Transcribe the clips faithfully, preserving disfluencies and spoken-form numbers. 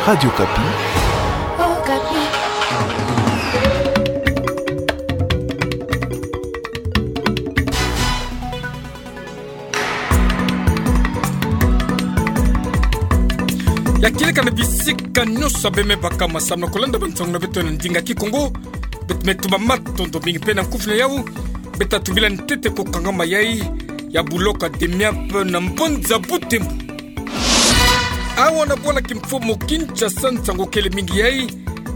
Radio Okapi. Ya kieleka na bisika nyonso beme baka masamna kolanda bansango na beto na ndinga Kikongo. Beto me tuba matondo mingi mpe na nkufi na yau. Beto tubila ntete ko kangama yai ya buloka Demiap na mbanza Butembo. Awa na bwala kimfumu Kinshasa, nsango kele mingi yai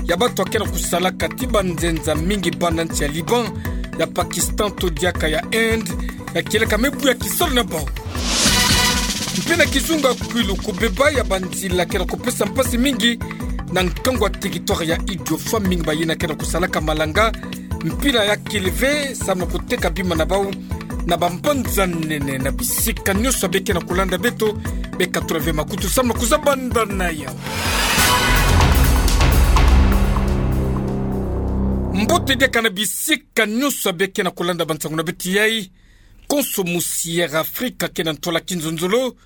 ya bato akena kusalaka ti banzenza mingi bana nsi ya Liban, ya Pakistan to diaka ya Inde, ya kieleka me buya kisalu na bau. Mpe na kizunga kwilu, kubeba ya banzila kena kupesa mpasi mingi na nkangu ya territoire ya Idiofa, mingi bayina kena kusalaka malanga mpila ya kele ve samu na kuteka bima na bau na bambanza nene. Na bisika nyonso bekena kulanda beto, bekatula ve makutu samu na kuzabanda na yau. Mbote diaka na bisika nyonso bekena kulanda bansango na beto yai. Konso musi Air Afrique kena ntwala kinzonzolo,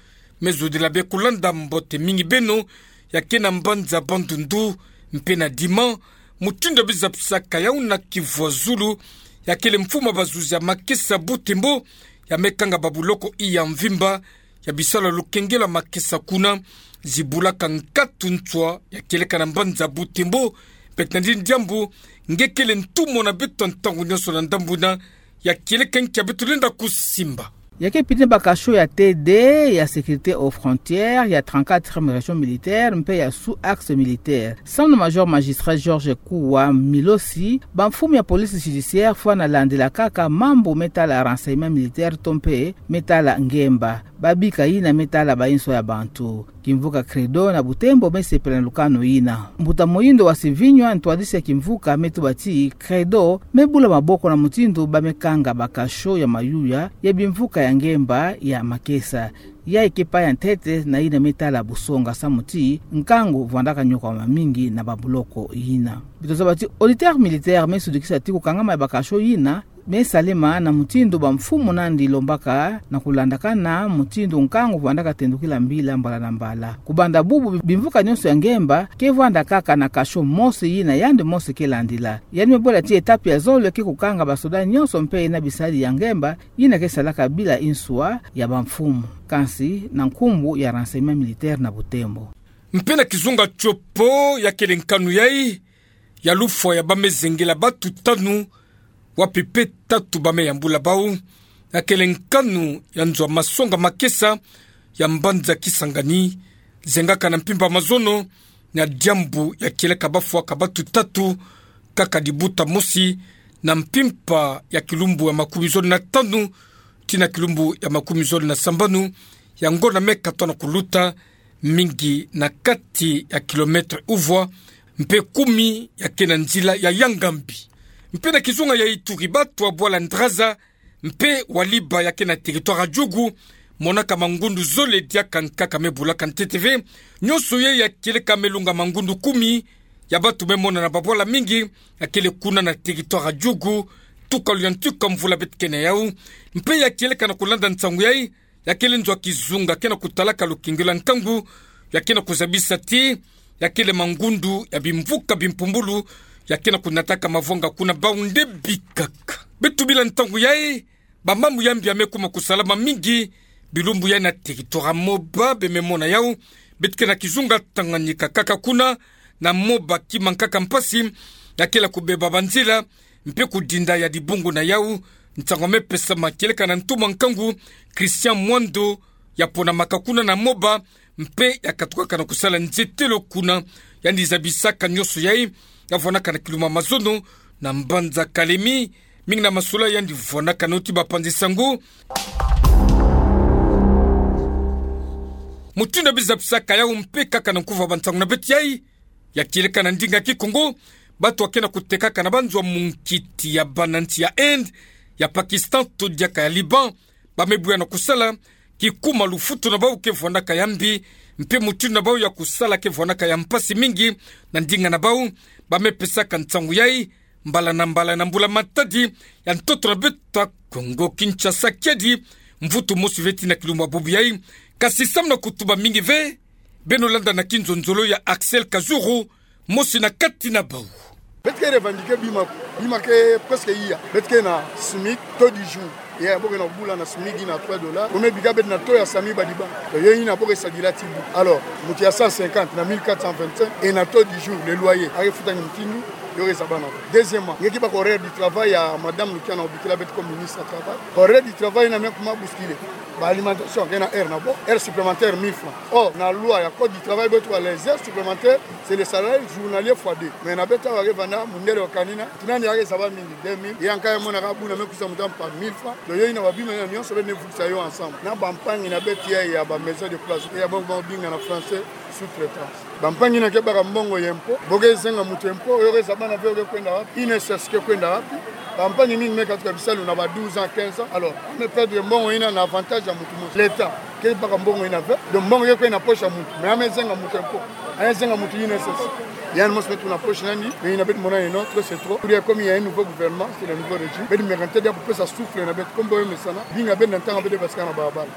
me zodila be kulanda. Mbote mingi beno ya kena mbanza Bandundu mpe na Dima. Mutindu bizapisaka yau na kivwa zulu, ya kele mfumu ya bazuzi ya makesa Butembo, ya me kanga babuloko iya mvimba ya bisalu ya lukengelo ya makesa kuna. Zibulaka nkatu nswa ya kieleka na mbanza Butembo. Beto na ndi diambu nge kele ntumwa na beto ntangu nyonso na ndambu ina ya kieleka nkia beto lenda kusimba. Ya ke pini ba cachot ya T D, ya sécurité aux frontières, ya trente-quatrième région militaire mpe ya sous-axe militaire. Samu na major magistrat Georges Kuwa Milosi, bamfumu ya police judiciaire fwana landila kaka mambu me tala renseignement militaire to mpe me tala ngemba. Babika yina me tala bansoni ya bantu. Kimvuka Credo na Butembo me sepela na lukanu yina. Mbuta Moyindo wa Sivinywa, ntwadisi ya kimvuka, me tuba ti Credo me bula maboko na mutindu ba me kanga ba cachot ya mayuya ya bimvuka ya ngemba ya makesa. Yayi ke paya ntete na yina me tala busonga samu ti nkangu vwandaka nyokwama mingi na babuloko yina. Beto zaba ti auditeur militaire me sudikisa ti kukangama ya ba cachot yina me salema na mutindu bamfumu nandi lombaka, na kulandakana mutindu nkangu vwandaka tendukila mbila mbala na mbala. Kubanda bubu, bimvuka nyonso ya ngemba ke vwanda kaka na cachot mosi yina yandi mosi ke landila. Yandi me bola ti étape ya zole ke kukanga basoda nyonso mpe na bisadi ya ngemba yina ke salaka bila nswa ya bamfumu, kansi na nkumbu ya renseignement militaire na Butembo. Mpe na kizunga Tshopo, ya kele nkanu yai ya lufwa ya ba me zengela batu tanu, wapi pe tatu ba me yambula bau. Ya kele nkanu ya nzo ya masonga makesa ya mbanza Kisangani, zengaka na mpimpa mazono, na diambu ya kieleka bafwaka batu tatu kaka dibuta mosi, na mpimpa ya kilumbu ya makumi zole na tanu tii na kilumbu ya makumi zole na sambanu, ya ngonda me katona kuluta, mingi na kati ya kilomètre uvwa, mpe kumi ya ke na nzila ya yanga mbi. Mpe na kizunga ya Ituri, batu ya bwala Ndraza mpe Waliba ya ke na territoire ya Djugu, monaka mangundu zole diaka nkaka me bulaka ntete ve. Nyonso yai ya kieleka me lunga mangundu kumi ya batu me monana babwala mingi, ya kele kuna na territoire ya Djugu, tukalu ya ntuka mvula beto ke na yau. Mpe ya kieleka na kulanda nsangu yai, ya kele nzo ya kizunga ke na kutalaka lukengelo ya nkangu, ya ke na kuzabisa ti ya kele mangundu ya bimvuka bimpumbulu ya ke na kunataka mavwanga kuna bau nde bikaka. Beto bila ntangu yai, bamambu ya mbi ya me kuma kusalama mingi bilumbu yai na territoire ya Moba, be me mona yau. Beto ke na kizunga Tanganyika kaka kuna na Moba, kima nkaka mpasi ya kele kubeba banzila mpe kudinda ya dibungu na yau. Nsangu me pesama kieleka na ntumwa nkangu Christian Mwando, ya ponamaka kuna na Moba, mpe ya katukaka na kusala nzetelo kuna. Yandi zabisaka nyonso yai, ya vwanaka na kilumbu ya mazono na mbanza Kalemi. Mingi na masolo yandi vwanaka nao ti bapanzi sango. Mutindu bizapisaka yau mpe kaka na nkufi ya bansangu na beto yai, ya kieleka na ndinga Kikongo, batu ya ke na kutekaka na banzo ya munkiti ya bana nsi ya Inde, ya Pakistan to diaka ya Liban, ba me buya na kusala, kikuma lufutu na bau ke vwanaka ya mbi, mpe mutindu na bau ya kusala ke vwanaka ya mpasi mingi na ndinga na bau. Ba me pesaka nsangu yai mbala na mbala na mbula matadi ya ntoto na beto ya Kongo Kinshasa, kiadi mvutu mosi ve tii na kilumbu ya bubu yai. Kasi samu na kutuba mingi ve, Beno landa na kinzonzolo ya Axel Kazuru, mosi na kati na bau. Beto ke revendiquer bima, bima ke presque iya. Beto ke na SMIC, taux dix jours. Ya, bo ke na bula na SMIC na trois dollars. Ome bika beto na taux ya SAMU Badiba. Donc, yo ina bo ke sadila ti bu. Alors, mutu ya cent cinquante na mille quatre cent vingt-cinq, et na taux dix jours, le loyer. Ake futa ni mutindu, yo ke zaba na. Deuxièmement, nge ki baka horaire du travail ya madame Lukiana Obikila beto comme ministre ya travail. Horaire du travail na me kuma bousculer. Ba alimentation, ke na heure na bo, heure supplémentaire mille francs. Or, na loi ya code du travail, beto ke baka les heures supplémentaires, c'est le salaire journalier fois deux. Mais na beto awa ke vanda, mundele wa kanina, tinani ake zaba mingi, deux mille. Ya nka ya mona ka buna me kusa mutam pa mille francs. Donc, yo ina ba bima ina nyonso beto ne vukisa yo ensemble. Na bampangi na beto ya, ya ba maison de place. Ya bongo ba binga na français, sous-traitance. Bampangi ina ke baka mbongo ya impôt. Bo ke zenga mutu impôt, yo ke zaba na ve yo ke kwenda wapi? INSS ke kwenda wapi? Bampangi mingi me katuka bisalu na ba douze ans, quinze ans. Alors, ame perdre mbongo ina na avantage ya mutu mosi. L'État ke baka mbongo ina ve. Donc, mbongo ke kwenda na poche ya mutu. Mais ame zenga mutu impôt. Ame zenga mutu INSS. Yandi mosi beto na poche na yandi. Mais ina beto mona ino, trop c'est trop. Pour dire comme il y a un nouveau gouvernement, c'est le nouveau régime. Beto me kante dia kupesa souffle na beto. Comme bo yo mesana. Binga beto na ntanga beto basika na babala.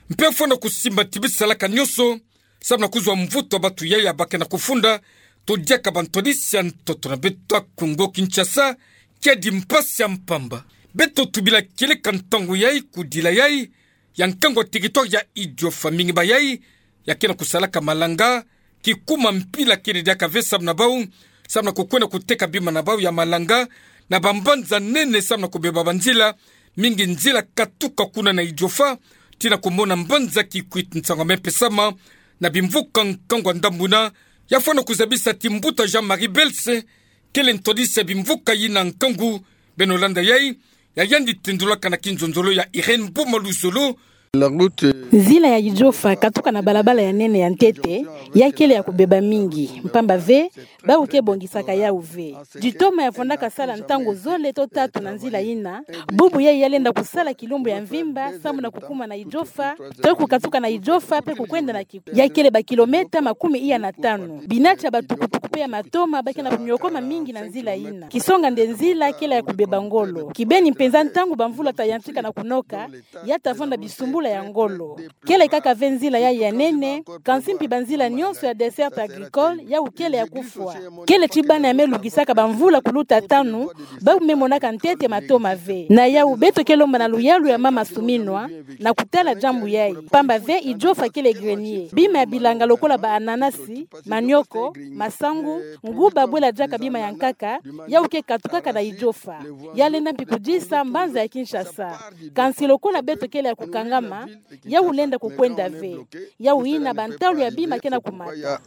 Mpe fwana kusimba ti bisalaka nyonso, samu na kuzwa mvutu ya batu yai ya ba ke na kufunda, to diaka bantwadisi ya ntoto na beto ya Kongo Kinshasa, kiadi mpasi ya mpamba. Beto tubila kieleka ntangu yai, kudila yai, ya nkangu ya territoire ya Idiofa, mingi ba yai ya ke na kusalaka malanga, kikuma mpila kele diaka ve samu na bau, samu na kukwenda kuteka bima na bau ya malanga na bambanza nene samu na kubeba banzila, mingi nzila katuka kuna na Idiofa, tii na kumona mbanza Kikwit. Nsangu ya me pesama na bimvuka nkangu ya ndambu ina, ya fwana kuzabisa ti mbuta Jean-Marie Belse, kele ntwadisi ya bimvuka ina nkangu. Beno landa yai, ya yandi tendulaka na kinzonzolo ya Irène Boma Luzolo. La route, euh, Nzila ya Idiofa katuka na balabala ya nene ya ntete, ya kele ya kubeba mingi, mpamba ve, bau ke bongisaka yau ve. Ditoma ya fondaka sala ntangu zole to tatu na nzila ina, bubu yai ya lenda kusala kilumbu ya mvimba, samu na kukuma na Idiofa, to kukatuka na Idiofa, mpe kukwenda na Kikwit. Ya kele ba kilomètre makumi iya na tanu. Binati ya batukutuku mpe ya matoma ba ke na kunyokoma mingi na nzila ina. Kisonga nde nzila kele ya kubeba ngolo. Kibeni mpenza ntangu bamvula ta yantika na kunoka, ya ta vanda bisumbula ya ngolo. Kele kaka ve nzila yai ya nene, kansi mpi banzila nyonso ya desserte agricole, yau kele ya kufwa. Kele ti bana ya me lungisaka bamvula kuluta tanu, bau me monaka ntete matoma ve. Na yau beto ke lomba na luyalu ya mama Suminwa, na kutala diambu yai. Mpamba ve Idiofa kele grenier. Bima ya bilanga lokola ba ananasi, manioko, masangu, nguba bwela diaka bima ya nkaka, yau ke katukaka na Idiofa. Ya lenda mpi kudisa mbanza ya Kinshasa. Kansi lokola beto kele ya kukangama, yau lenda kukwenda ve. Yau ina bantalu ya bima ke na kumata.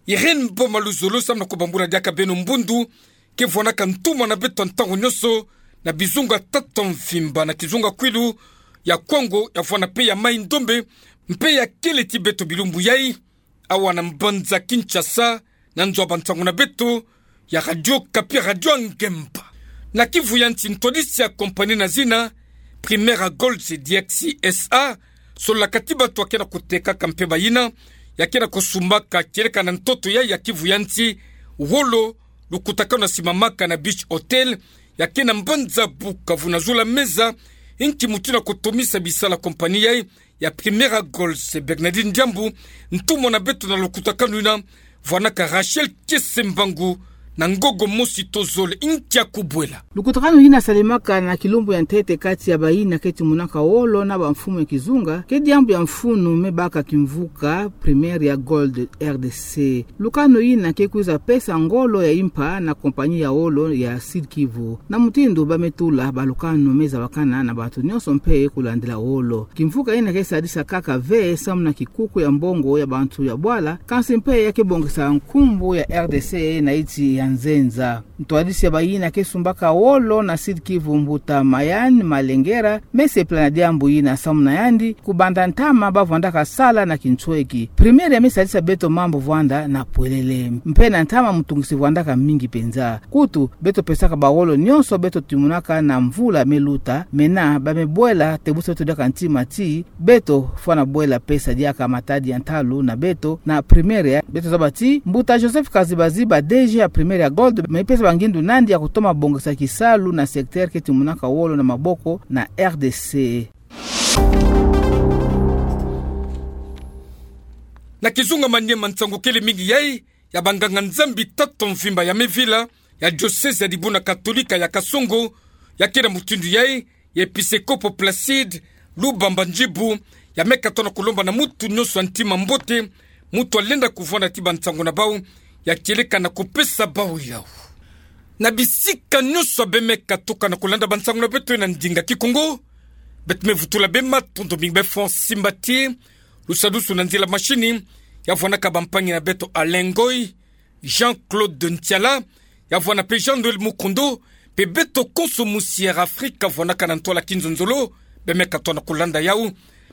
Irène Boma Luzolo, samu na kubambula diaka beno mbundu ke vwanaka ntumwa na beto ntangu nyonso na bizunga tata mvimba, na kizunga kwilu ya Kwango, ya vwana mpe ya Mai-Ndombe, mpe ya kele ti beto bilumbu yai, awa na mbanza Kinshasa, na nzo ya bansangu na beto ya Radio Okapi, Radio Ngemba. Na Kivu ya nsi, ntwadisi ya compagnie na zina Primera Gold C D X S A, sololaka ti bato ya ke na kutekaka mpemba ina ya ke na kusumbaka kieleka na ntoto yai ya Kivu ya nsi, wolo, lukutakanu ya simamaka na Beach Hotel ya ke na mbanza Bukavu, na zula meza, inki mutindu ya kutomisa bisala compagnie yai ya Primera Gold. Se Bernardine Diambu, ntumwa na beto na lukutakanu ina, vwanaka Rachel Kiese Mbangu na ngogo mosi to zole. Inki ya kubwela? Lukutakanu ina salemaka na kilumbu ya ntete kati ya bayina ke timonaka wolo na bamfumu ya kizunga, ke diambu ya mfunu me baka kimvuka Primera Gold R D C. Lukanu ina ke kwiza pesa ngolo ya impa na compagnie ya wolo ya Sud Kivu. Na mutindu ba me tula, balukanu me zabakana na bato nyonso mpe kulandila wolo. Kimvuka ina ke sadisa kaka ve samu na kikuku ya mbongo ya bantu ya bwala, kansi mpe ya ke bongisa nkumbu ya R D C na insi ya nzenza. Ntwadisi ya bayina ke sumbaka wolo na Sud Kivu, mbuta Mayan Malengera, me sepela na diambu ina, samu na yandi, kubanda ntama ba vwandaka sala na kinsweki. Primera me sadisa beto mambu vwanda na pwelele. Mpe na ntama mutungisi vwandaka mingi mpenza. Kutu, beto pesaka bawolo nyonso beto timonaka na mvula me luta, mena ba me bwela tebusa beto diaka ntima ti beto fwana bwela pesa diaka matadi ya ntalu na beto na Primera. Beto zaba ti mbuta Joseph Kazibaziba, D G ya Primera Gold, me pesa bangindu nandi ya kutoma bongisa kisalu na secteur ke timonaka wolo na maboko na R D C. Na kizungamani ye ma nsangu kele mingi yai, ya banganga-Nzambi tata mvimba ya Mevila, ya diosezi ya Dibuna Katolika ya Kasongo, ya kena mutindu yai, ya Episekopo Placide Lubamba Ndjibu, ya meka tona kulomba na mutu nyonso ya ntima mbote, mutu alenda kuvwanda ti bansangu na bau, ya kieleka na kupesa bau yau. Na bisika nyonso bemeka tuka na kulanda bansangu na beto na ndinga Kikongo, beto me vutula bê matondo mingi bê fwa simbati, lusadusu na nzila mashini, ya vwanaka bampangi na beto Alain Ngoy, Jean-Claude Ntiala, ya vwana pe Jean-Noël Mukondo, pe beto konso mu Sierra Afrika vwanaka na ntwala kinzonzolo, bemeka tona kulanda yau.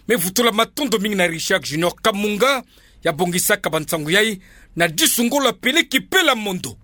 Me vutula matondo mingi na Richard Junior Kamunga, ya bongisaka bansangu yai, na disu ngolo apeleki Pela Mondo.